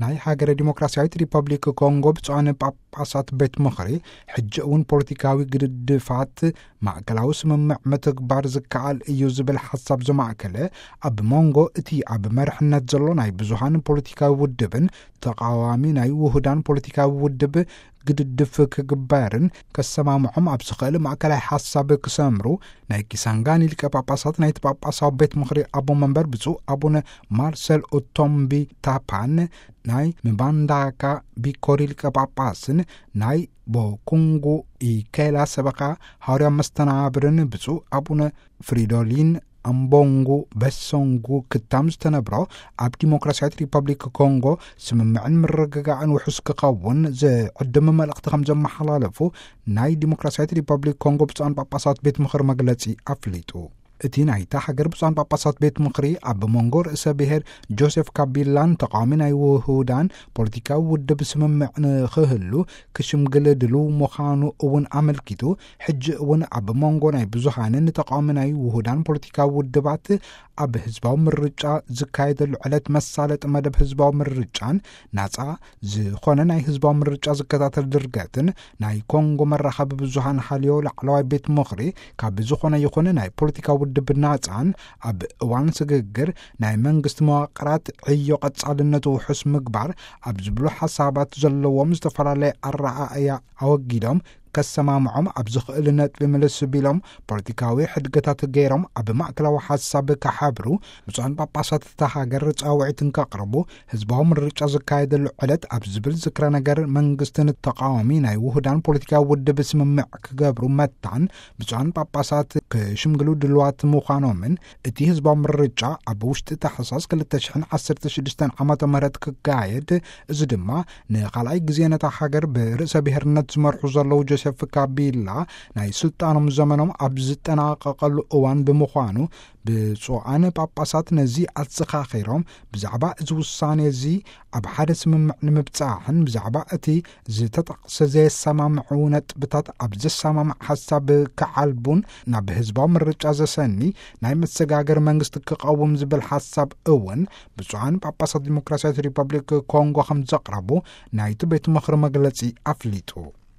ናይ ሃገረ ዲሞክራሲያዊት ሪፐብሊክ ኮንጎ ብፁዓን ጳጳሳት ቤት ምኽሪ፣ ሕጂ እውን ፖለቲካዊ ግድድፋት ማእከላዊ ስምምዕ ምትግባር ዝከኣል እዩ ዝብል ሓሳብ ዘማእከለ፣ ኣብ መንጎ እቲ ኣብ መርሕነት ዘሎ ናይ ብዙሃን ፖለቲካዊ ውድብን ተቓዋሚ ናይ ውሁዳን ፖለቲካዊ ውድብ ግድድፍ ክግበርን ከሰማምዖም ኣብ ዝኽእል ማእከላይ ሓሳብ ክሰምሩ፣ ናይ ኪሳንጋኒ ሊቀ ጳጳሳት ናይቲ ጳጳሳዊ ቤት ምኽሪ ኣቦ መንበር ብፁዕ ኣቡነ ማርሰል ኡቶምቢ ታፓን፣ ናይ ምባንዳካ ቢኮሪ ሊቀ ጳጳስን ናይ ቦኩንጉ ኢኬላ ሰበኻ ሃዋርያ መስተናብርን ብፁዕ ኣቡነ ፍሪዶሊን ኣምቦንጉ በሶንጉ ክታም ዝተነብሮ፣ ኣብ ዲሞክራሲያዊት ሪፐብሊክ ኮንጎ ስምምዕን ምርግጋዕን ውሑስ ክኸውን ዝዕድም መልእኽቲ ከም ዘመሓላለፉ ናይ ዲሞክራሲያዊት ሪፐብሊክ ኮንጎ ብፁዓን ጳጳሳት ቤት ምኽሪ መግለጺ ኣፍሊጡ። እቲ ናይታ ሃገር ብፁዓን ጳጳሳት ቤት ምኽሪ ኣብ መንጎ ርእሰ ብሔር ጆሴፍ ካቢላን ተቃዋሚ ናይ ውሁዳን ፖለቲካዊ ውድብ ስምምዕ ንኽህሉ ክሽምግል ድልው ምዃኑ እውን ኣመልኪቱ፣ ሕጂ እውን ኣብ መንጎ ናይ ብዙሃንን ተቃዋሚ ናይ ውሁዳን ፖለቲካዊ ውድባት ኣብ ህዝባዊ ምርጫ ዝካየደሉ ዕለት መሳለጢ መደብ ህዝባዊ ምርጫን ናጻ ዝኾነ ናይ ህዝባዊ ምርጫ ዝከታተል ድርገትን ናይ ኮንጎ መራኸቢ ብዙሃን ሃልዮ ላዕለዋይ ቤት ምኽሪ ካብ ዝኾነ ይኹን ናይ ፖለቲካ ውድብ ናጻን ኣብ እዋን ስግግር ናይ መንግስቲ መዋቅራት ዕዮ ቀጻልነቱ ውሑስ ምግባር ኣብ ዝብሉ ሓሳባት ዘለዎም ዝተፈላለየ ኣረኣእያ ኣወጊዶም ከሰማምዖም ኣብ ዝኽእል ነጥቢ ምልስ ቢሎም ፖለቲካዊ ሕድገታት ገይሮም ኣብ ማእከላዊ ሓሳብ ክሓብሩ ብፁዓን ጳጳሳት እታ ሃገር ጻውዒት እንከቕርቡ ህዝባዊ ምርጫ ዝካየደሉ ዕለት ኣብ ዝብል ዝክረ ነገር መንግስትን ተቃዋሚ ናይ ውሁዳን ፖለቲካዊ ውድብ ስምምዕ ክገብሩ መታን ብፁዓን ጳጳሳት ክሽምግሉ ድልዋት ምዃኖምን እቲ ህዝባዊ ምርጫ ኣብ ውሽጢ ታሕሳስ ክልተ ሽሕን ዓሰርተ ሽዱሽተን ዓመተ ምህረት ክካየድ፣ እዚ ድማ ንኻልኣይ ግዜ ነታ ሃገር ብርእሰ ብሔርነት ዝመርሑ ዘለዉ ጆሴፍ ካቢላ ናይ ስልጣኖም ዘመኖም ኣብ ዝጠናቀቀሉ እዋን ብምዃኑ ብፁዓን ጳጳሳት ነዚ ኣዘኻኺሮም ብዛዕባ እዚ ውሳኔ እዚ ኣብ ሓደ ስምምዕ ንምብጻሕን ብዛዕባ እቲ ዝተጠቕሰ ዘየሰማምዑ ነጥብታት ኣብ ዘሰማምዕ ሓሳብ ክዓልቡን ናብ ህዝባዊ ምርጫ ዘሰኒ ናይ መሰጋገር መንግስቲ ክቐውም ዝብል ሓሳብ እውን ብፁዓን ጳጳሳት ዲሞክራሲያዊት ሪፐብሊክ ኮንጎ ከም ዘቕረቡ ናይቲ ቤት ምኽሪ መግለጺ ኣፍሊጡ።